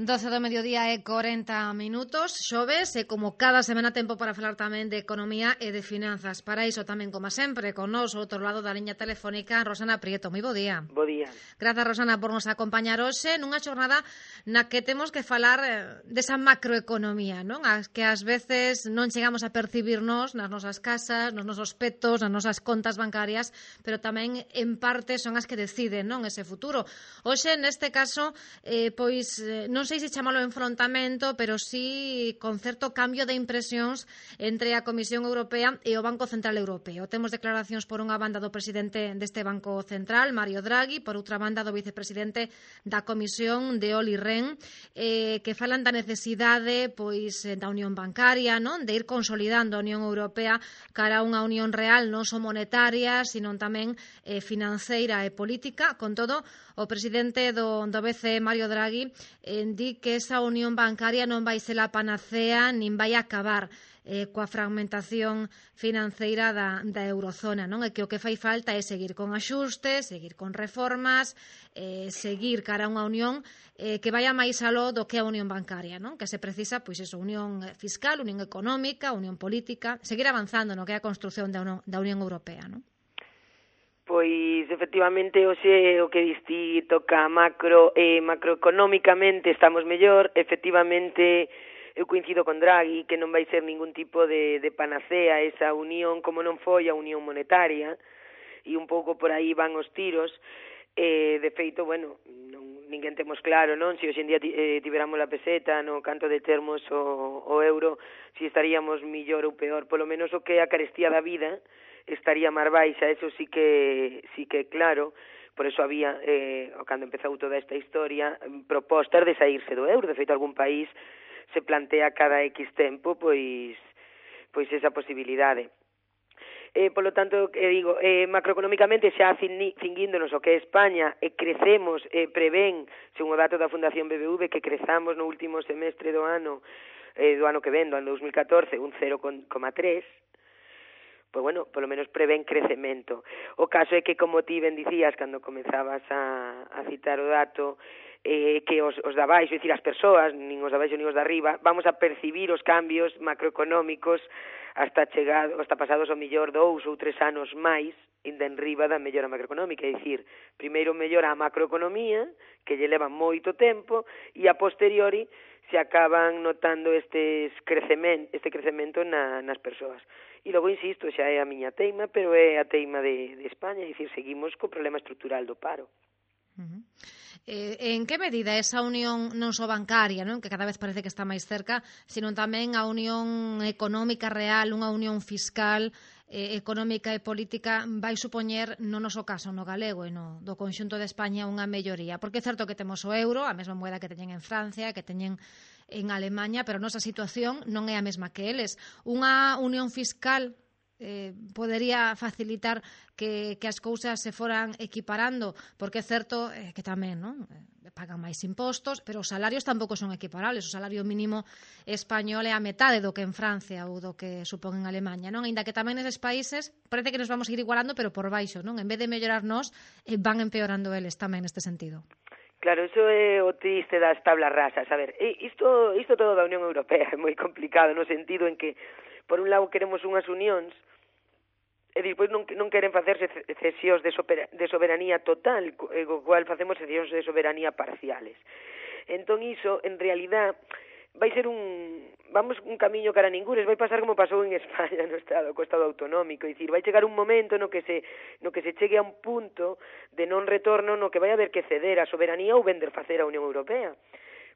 12 do mediodía e 40 minutos, xoves, e como cada semana tempo para falar tamén de economía e de finanzas. Para iso tamén, como sempre, con nós, ao outro lado da liña telefónica, Rosana Prieto. Moi bo día. Bo día. Grazas, Rosana, por nos acompañar hoxe nunha xornada na que temos que falar desa macroeconomía, non? Que ás veces non chegamos a percibirnos nas nosas casas, nos nosos petos, nas nosas contas bancarias, pero tamén en parte son as que deciden, non, ese futuro. Hoxe, neste caso, non sei se chamalo enfrontamento, pero sí con certo cambio de impresións entre a Comisión Europea e o Banco Central Europeo. Temos declaracións por unha banda do presidente deste Banco Central, Mario Draghi, por outra banda do vicepresidente da Comisión, de Olli Rehn, que falan da necesidade da unión bancaria, non, de ir consolidando a Unión Europea cara a unha unión real, non só monetaria, sino tamén financeira e política. Con todo, o presidente do BCE, Mario Draghi, di que esa unión bancaria non vai ser a panacea nin vai acabar coa fragmentación financeira da eurozona, non? E que o que fai falta é seguir con axustes, seguir con reformas, seguir cara a unha unión que vaya máis aló do que a unión bancaria, non? Que se precisa, unión fiscal, unión económica, unión política, seguir avanzando no que é a construción da Unión Europea, non? Pois, efectivamente, hoxe o que diste toca macroeconómicamente estamos mellor. Efectivamente, eu coincido con Draghi que non vai ser ningún tipo de panacea esa unión como non foi a unión monetaria, e un pouco por aí van os tiros. De feito, ninguén temos claro, non? Se hoxe en día tiveramos a peseta, no canto de termos o euro, se estaríamos millor ou peor. Polo menos o que é a carestía da vida estaría máis baixa, eso sí que claro. Por eso había, cando empezou toda esta historia, propostas de saírse do euro. De feito, algún país se plantea cada X tempo, pois esa posibilidade. Polo tanto, digo, macroeconómicamente xa cinguíndonos o que é España, crecemos, prevén, según o dato da Fundación BBV, que crezamos no último semestre do ano que ven, do ano 2014, un 0,3%, polo menos prevén crecemento. O caso é que, como ti ben dicías cando comezabas a citar o dato, que os da baixo, é dicir, as persoas, nin os da baixo nin os da arriba, vamos a percibir os cambios macroeconómicos hasta pasados ao millor 2 ou 3 anos máis, ainda en riba da mellora macroeconómica. É dicir, primeiro mellora a macroeconomía, que lle leva moito tempo, e a posteriori se acaban notando este crecemento nas persoas. E logo, insisto, xa é a miña teima, pero é a teima de España, é dicir, seguimos co problema estrutural do paro. En que medida esa unión non só bancaria, non, que cada vez parece que está máis cerca, sino tamén a unión económica real, unha unión fiscal, económica e política, vai supoñer, no noso caso, no galego e no do conxunto de España, unha melloría? Porque é certo que temos o euro, a mesma moeda que teñen en Francia, que teñen en Alemanha, pero a nosa situación non é a mesma que eles. Unha unión fiscal podería facilitar que as cousas se foran equiparando, porque é certo que tamén, non? Pagan máis impostos, pero os salarios tampouco son equiparables. O salario mínimo español é a metade do que en Francia ou do que supón en Alemanha, non? Ainda que tamén neses países parece que nos vamos a ir igualando, pero por baixo, non? En vez de mellorarnos, van empeorando eles tamén neste sentido. Claro, iso é o triste das tablas rasas. A ver, isto todo da Unión Europea é moi complicado, no sentido en que, por un lado, queremos unhas unións, e despois non queren facerse cesións de soberanía total, co cual facemos cesións de soberanía parciales. Entón, iso, en realidad, vai ser un camiño cara a ningures, vai pasar como pasou en España co Estado autonómico, é dicir, vai chegar un momento no que se chegue a un punto de non retorno no que vai haber que ceder a soberanía ou vender facer a Unión Europea.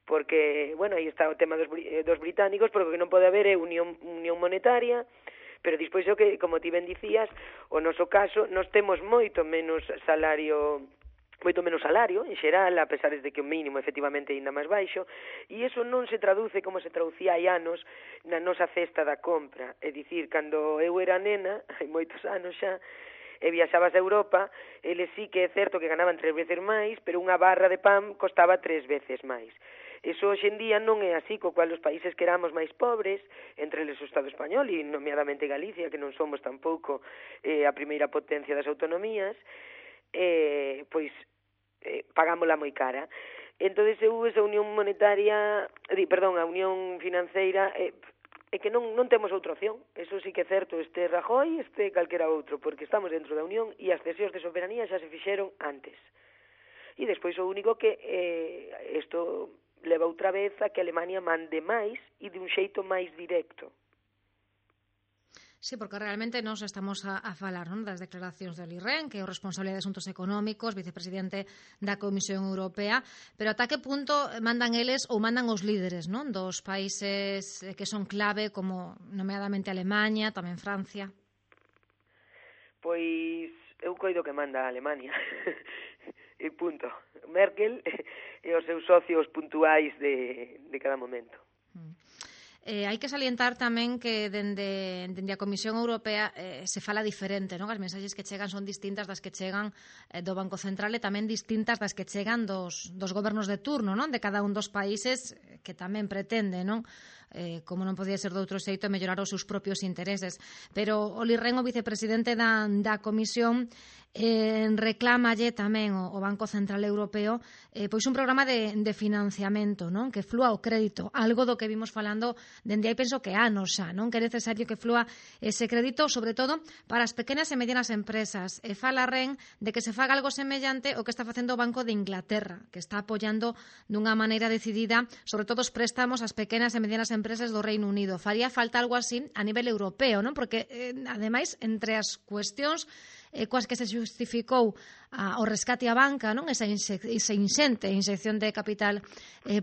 Porque, aí está o tema dos británicos, porque o que non pode haber é unión monetaria, pero despois o que, como ti ben dicías, o noso caso, nós temos moito menos salario en xeral, a pesar de que o mínimo efectivamente é ainda máis baixo, e iso non se traduce como se traducía hai anos na nosa cesta da compra. É dicir, cando eu era nena, hai moitos anos xa, e viaxabas a Europa, eles sí que é certo que ganaban 3 veces máis, pero unha barra de pan costaba 3 veces máis. Eso hoxe en día non é así, co cual os países que éramos máis pobres, entre eles o Estado español e nomeadamente Galicia, que non somos tampouco a primeira potencia das autonomías, pagámola moi cara. Entón, esa unión monetaria, a unión financeira, é que non temos outra opción. Eso sí que é certo, este Rajoy, este calquera outro, porque estamos dentro da unión e as cesións de soberanía xa se fixeron antes. E despois o único que isto leva outra vez a que Alemania mande máis e de un xeito máis directo. Sí, porque realmente nos estamos a falar, non, das declaracións de Olli Rehn, que é o responsable de asuntos económicos, vicepresidente da Comisión Europea, pero ata que punto mandan eles ou mandan os líderes, non, dos países que son clave, como nomeadamente Alemanha, tamén Francia? Pois eu coido que manda a Alemania. E punto. Merkel e os seus socios puntuais de cada momento. Hai que salientar tamén que dende a Comisión Europea se fala diferente, non? As mensaxes que chegan son distintas das que chegan do Banco Central e tamén distintas das que chegan dos gobernos de turno, non? De cada un dos países que tamén pretende, non? Como non podía ser de outro xeito, mellorar os seus propios intereses. Pero Olli Rehn, o vicepresidente da Comisión, reclámalle tamén o Banco Central Europeo pois un programa de financiamento, non, que flúa o crédito, algo do que vimos falando dende aí penso que anos xa, non, que é necesario que flúa ese crédito, sobre todo para as pequenas e medianas empresas. E fala Rehn de que se faga algo semellante o que está facendo o Banco de Inglaterra, que está apoiando dunha maneira decidida, sobre todo os préstamos ás pequenas e medianas empresas do Reino Unido. Faría falta algo así a nivel europeo, non? Porque, ademais, entre as cuestións coas que se justificou o rescate á banca, non, esa inxente inyección de capital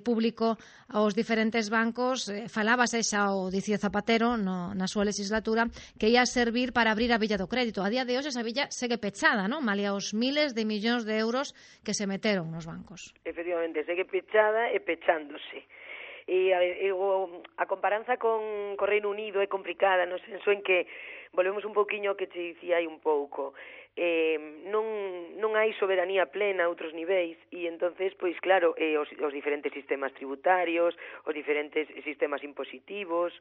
público aos diferentes bancos, falábase xa o dicía Zapatero na súa legislatura que ia servir para abrir a billa do crédito. A día de hoxe esa billa segue pechada, non? Malia os miles de millóns de euros que se meteron nos bancos. Efectivamente, segue pechada e pechándose. E a comparanza con Reino Unido é complicada no senso en que volvemos un pouquiño que te dicía aí un pouco. Non hai soberanía plena a outros niveis e entonces, pois claro, os diferentes sistemas tributarios, os diferentes sistemas impositivos,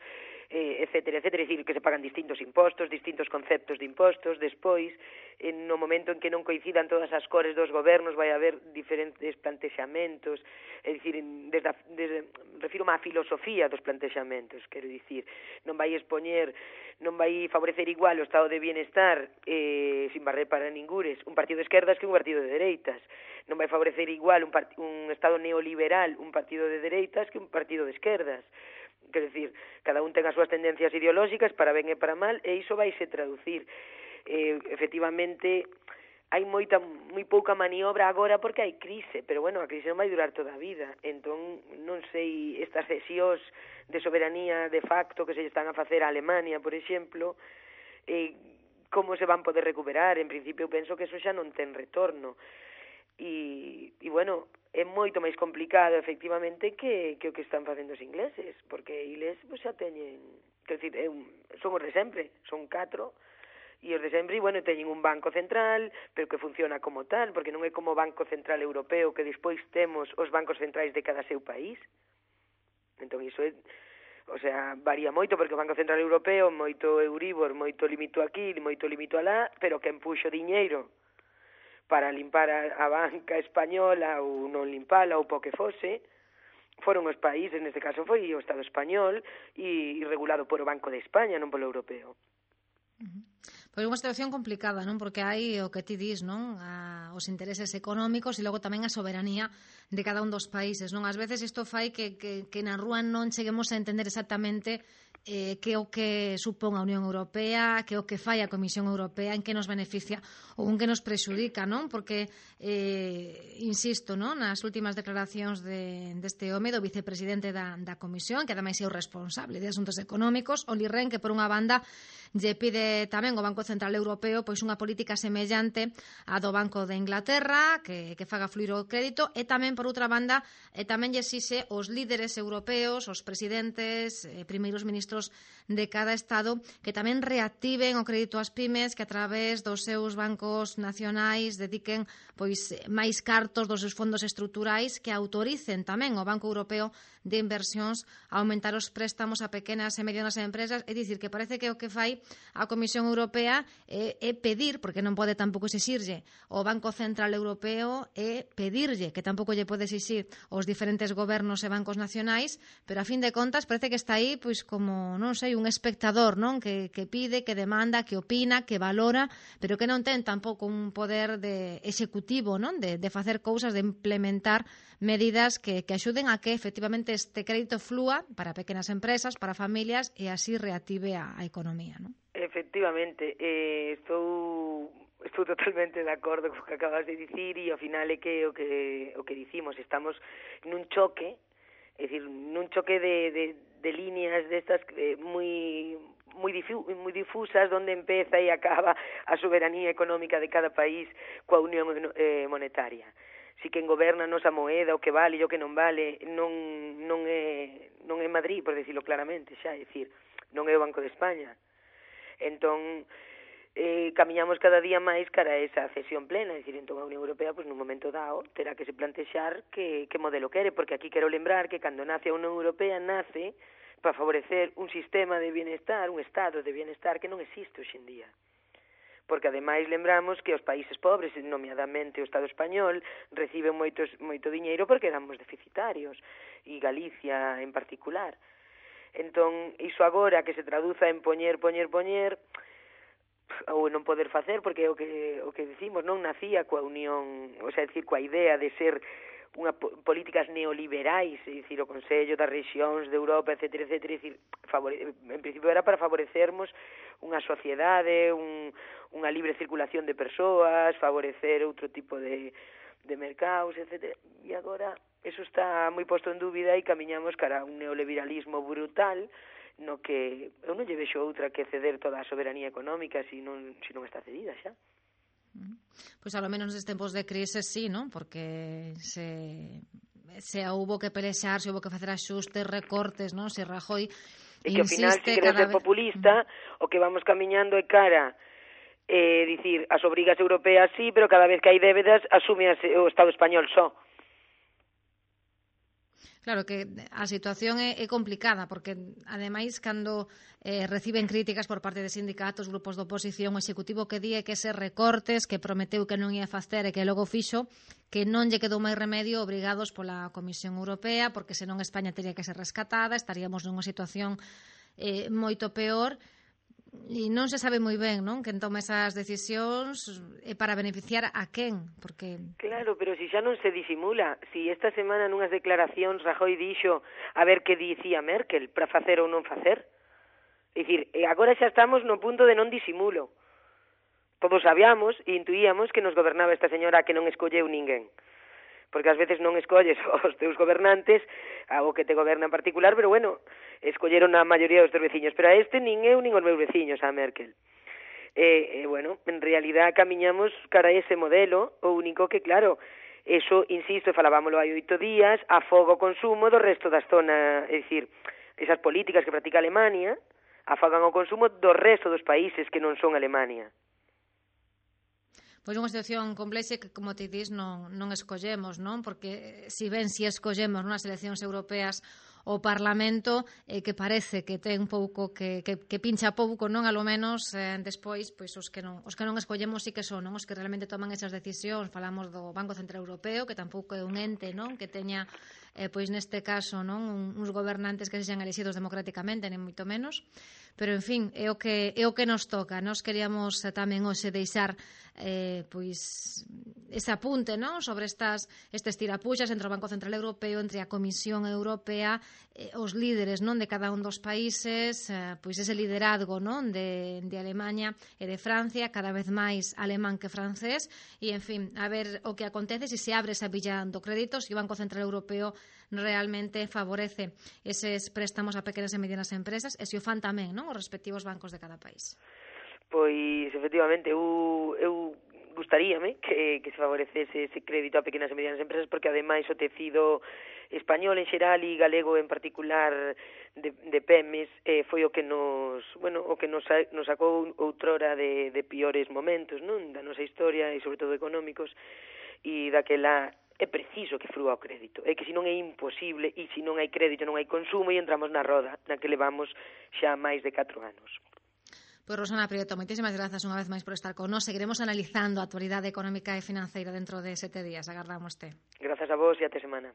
etcétera, etcétera, é dicir, que se pagan distintos impostos, distintos conceptos de impostos, despois, no momento en que non coincidan todas as cores dos gobernos, vai haber diferentes plantexamentos, é dicir, refírome á filosofía dos plantexamentos, quero dicir, non vai favorecer igual o estado de bienestar sin barrer para ningures un partido de esquerdas que un partido de dereitas, non vai favorecer igual un estado neoliberal un partido de dereitas que un partido de esquerdas. Quer decir, cada un ten as súas tendencias ideolóxicas para ben e para mal e iso vaise traducir. Efectivamente, hai moi pouca maniobra agora porque hai crise, pero bueno, a crise non vai durar toda a vida. Entón, non sei, estas cesións de soberanía de facto que se están a facer a Alemania, por exemplo, como se van poder recuperar. En principio, eu penso que eso xa non ten retorno. E bueno, é moito máis complicado, efectivamente, que o que están facendo os ingleses, porque eles xa teñen, quer dizer, son os de sempre, son 4, e os de sempre, bueno, teñen un banco central, pero que funciona como tal, porque non é como o Banco Central Europeo, que despois temos os bancos centrais de cada seu país. Entón, iso é, varía moito, porque o Banco Central Europeo, moito Euribor, moito limito aquí, moito limito alá, pero que empuxo diñeiro para limpar a banca española ou non limpala ou po que fose, foron os países, neste caso foi o Estado español e regulado por o Banco de España, non polo europeo. Pois unha situación complicada, non? Porque hai o que ti dis, non? Os intereses económicos e logo tamén a soberanía de cada un dos países, non? Ás veces isto fai que na rúa non cheguemos a entender exactamente que o que supón a Unión Europea, que o que fai a Comisión Europea, en que nos beneficia ou en que nos prexudica, non? Porque, insisto, non? Nas últimas declaracións deste home, do vicepresidente da Comisión, que ademais é o responsable de asuntos económicos, Olli Rehn, que por unha banda lle pide tamén ao Banco Central Europeo pois unha política semellante á do Banco de Inglaterra, que faga fluir o crédito, e tamén, por outra banda, tamén lle exixe os líderes europeos, os presidentes, primeiros ministros banceiros de cada Estado que tamén reactiven o crédito ás pymes, que a través dos seus bancos nacionais dediquen pois máis cartos dos seus fondos estruturais, que autoricen tamén o Banco Europeo de Inversións a aumentar os préstamos a pequenas e medianas empresas. É dicir, que parece que o que fai a Comisión Europea é pedir, porque non pode tampouco exixirlle o Banco Central Europeo, é pedirlle, que tampouco lle pode exixir os diferentes gobernos e bancos nacionais, pero a fin de contas parece que está aí pois como, non sei, un espectador, non, que pide, que demanda, que opina, que valora, pero que non ten tampouco un poder de executivo, non, de facer cousas, de implementar medidas que axuden a que efectivamente este crédito flúa para pequenas empresas, para familias, e así reactive a economía, non? Efectivamente, estou totalmente de acordo co que acabas de dicir, e ao final é que o que dicimos, estamos nun choque, é dicir, nun choque de líneas destas moi difusas, onde empeza e acaba a soberanía económica de cada país coa unión monetaria. Si quen goberna a nosa moeda, o que vale e o que non vale, non é Madrid, por decirlo claramente, xa, é dicir, non é o Banco de España. Entón, camiñamos cada día máis cara a esa cesión plena, é dicir, entón a Unión Europea, pois, nun momento dado, terá que se plantexar que modelo quere, porque aquí quero lembrar que cando nace a Unión Europea, nace para favorecer un sistema de bienestar, un estado de bienestar que non existe hoxe en día. Porque ademais lembramos que os países pobres, nomeadamente o Estado español, reciben moito diñeiro porque éramos deficitarios, e Galicia en particular. Entón, iso agora que se traduza en poñer, ou non poder facer, porque o que dicimos non nacía coa unión, o sea, decir, coa idea de ser políticas neoliberais, é dicir, o Consello das Rexións de Europa, etcétera, dicir, en principio era para favorecermos unha sociedade, unha libre circulación de persoas, favorecer outro tipo de mercados, etcétera. E agora eso está moi posto en dúbida e camiñamos cara a un neoliberalismo brutal, no que eu non lle vexo outra que ceder toda a soberanía económica se non está cedida xa. Pois ao menos nestes tempos de crise sí, non? Porque se houbo que pelexar, se houbo que facer axustes, recortes, non? Se Rajoy e que ao final, se quere ser populista, o que vamos camiñando é cara, dicir, as obrigas europeas sí, pero cada vez que hai débedas asume o Estado español só. Claro que a situación é complicada, porque ademais cando reciben críticas por parte de sindicatos, grupos de oposición, o executivo que di que ese recortes que prometeu que non ia facer e que logo fixo, que non lle quedou máis remedio, obrigados pola Comisión Europea, porque senón España teria que ser rescatada, estaríamos nunha situación moito peor. E non se sabe moi ben, non, quen toma esas decisións para beneficiar a quen, porque... Claro, pero si xa non se disimula, si esta semana nunhas declaracións Rajoy dixo a ver que dicía Merkel para facer ou non facer. É dicir, agora xa estamos no punto de non disimulo. Todos sabíamos e intuíamos que nos gobernaba esta señora que non escolleu ninguén. Porque ás veces non escolles os teus gobernantes, o que te goberna en particular, pero bueno, escolleron a maioría dos teus veciños, pero a este nin eu nin os meus veciños, a Merkel. Bueno, en realidad camiñamos cara a ese modelo, o único que, claro, eso, insisto, falábamoslo hai 8 días, afoga o consumo do resto da zona, é dicir, esas políticas que practica Alemania afogan o consumo do resto dos países que non son Alemania. Pois unha situación complexa que, como te dis, non escollemos, non? Porque si escollemos nas eleccións europeas o Parlamento, que parece que ten pouco, que pincha pouco, non? A lo menos, despois, pois os que non escollemos sí que son, non? Os que realmente toman esas decisións. Falamos do Banco Central Europeo, que tampouco é un ente, non? Que teña, pois neste caso, non? Uns gobernantes que sexan elexidos democráticamente, nem moito menos. Pero, en fin, é o que nos toca. Nos queríamos tamén hoxe deixar pois ese apunte, non? Sobre estes tirapuxas entre o Banco Central Europeo, entre a Comisión Europea, os líderes, non, de cada un dos países, pois ese liderazgo, non, de Alemaña e de Francia, cada vez máis alemán que francés, e, en fin, a ver o que acontece, se abre esa billa do crédito, se o Banco Central Europeo realmente favorece eses préstamos a pequenas e medianas empresas, e se o fan tamén, non, os respectivos bancos de cada país. Pois, efectivamente, eu gustaríame que se favorecese ese crédito a pequenas e medianas empresas, porque ademais o tecido español en xeral e galego en particular de PEMES foi o que nos sacou outrora de piores momentos, non, da nosa historia e sobre todo económicos, e daquela é preciso que frúa o crédito, é que senón é imposible, e se non hai crédito non hai consumo e entramos na roda na que levamos xa máis de 4 anos. Pois Rosana Prieto, moitísimas grazas unha vez máis por estar con nós. Seguiremos analizando a actualidade económica e financeira dentro de 7 días. Agardámoste. Grazas a vos e até semana.